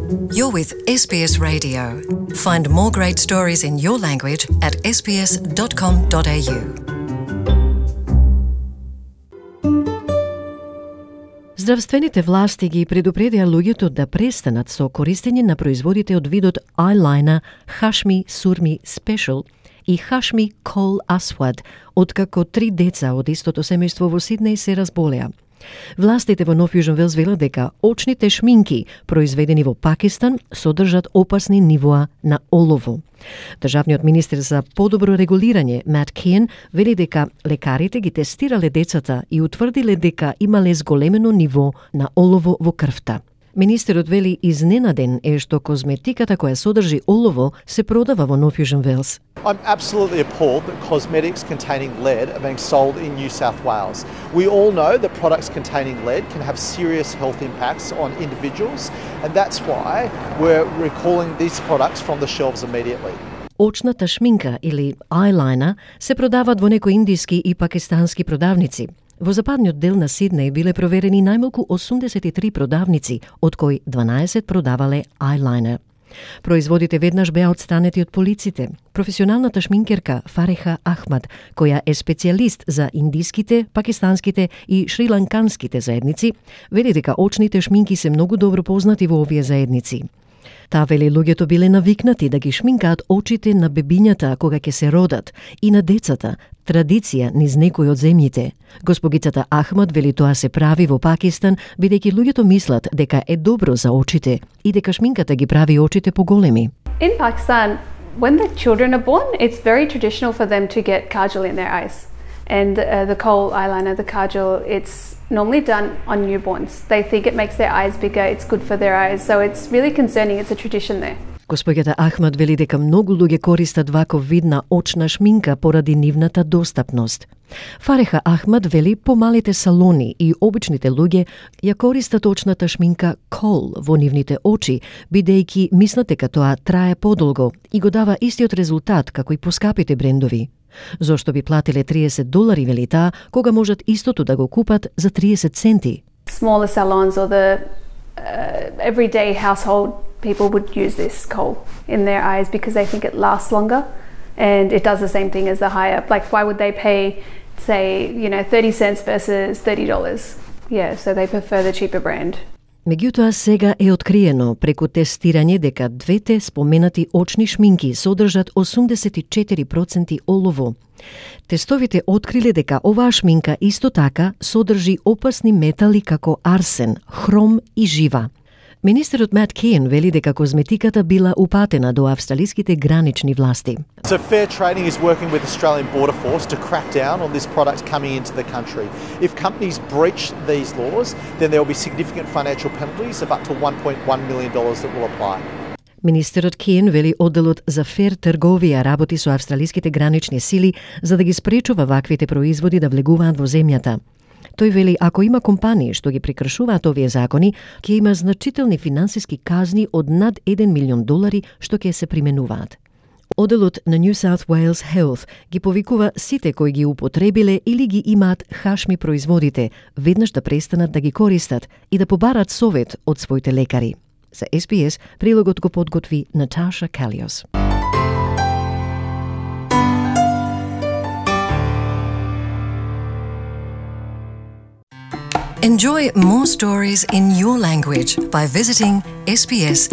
You're with SBS Radio. Find more great stories in your language at sbs.com.au. Здравствените власти ги предупредија луѓето да престанат со користење на производите од видот eyeliner Hashmi Surmi Special и Hashmi Kohl Aswad, откако 3 деца од истото семејство во Сиднеј се разболеа. Властите во Нов Јужен Велс велат дека очните шминки, произведени во Пакистан, содржат опасни нивоа на олово. Државниот министер за подобро регулирање, Мат Кейн, вели дека лекарите ги тестирале децата и утврдиле дека имале зголемено ниво на олово во крвта. Министерот вели изненаден е што козметиката која содржи олово се продава во Нов Јужен Велс. I'm absolutely appalled that cosmetics containing lead are being sold in New South Wales. We all know that products containing lead can have serious health impacts on individuals, and that's why we're recalling these products from the shelves immediately. Очната шминка или eyeliner се продаваат во некои индиски и пакистански продавници. Во западниот дел на Сиднеј биле проверени најмалку 83 продавници, од кои 12 продавале eyeliner. Производите веднаш беа отстранети од полиците. Професионалната шминкерка Фареха Ахмад, која е специјалист за индиските, пакистанските и шриланканските заедници, вели дека очните шминки се многу добро познати во овие заедници. Таа вели луѓето биле навикнати да ги шминкаат очите на бебињата кога ќе се родат и на децата, традиција низ некои од земјите. Госпогицата Ахмад вели тоа се прави во Пакистан, бидејќи луѓето мислат дека е добро за очите и дека шминката ги прави очите поголеми. In Pakistan, when the children are born, it's very traditional for them to get kajal in their eyes. And the kohl eyeliner, the kajal, it's normally done on newborns. They think it makes their eyes bigger, it's good for their eyes, so it's really concerning, it's a tradition there. Господјата Ахмад вели дека многу луѓе користат ваков вид на очна шминка поради нивната достапност. Фареха Ахмад вели помалите салони и обичните луѓе ја користат очната шминка Kohl во нивните очи, бидејќи мислат дека тоа трае подолго и го дава истиот резултат како и поскапите брендови. Зошто би платиле $30, вели таа, кога можат истото да го купат за 30 центи? Smaller salons or the everyday household people would use this kohl in their eyes because they think it lasts longer and it does the same thing as the higher. Like, why would they pay, say, 30 cents versus $30? Yeah, so they prefer the cheaper brand. Меѓутоа сега е откриено преку тестирање дека двете споменати очни шминки содржат 84% олово. Тестовите откриле дека оваа шминка исто така содржи опасни метали како арсен, хром и жива. Министерот Мат Кейн вели дека козметиката била упатена до австралиските гранични власти. So Fair Trading is working with Australian Border Force to crack down on this product coming into the country. If companies breach these laws, then there will be significant financial penalties of up to $1.1 million that will apply. Министерот Кейн вели одделот за фер трговија работи со австралиските гранични сили за да ги спречува ваквите производи да влегуваат во земјата. Тој вели ако има компании што ги прекршуваат овие закони, ќе има значителни финансиски казни од над $1 милион што ќе се применуваат. Одделот на New South Wales Health ги повикува сите кои ги употребиле или ги имаат хашми производите, веднаш да престанат да ги користат и да побарат совет од своите лекари. За SBS прилогот го подготви Наташа Калиос. Enjoy more stories in your language by visiting sbs.com.au.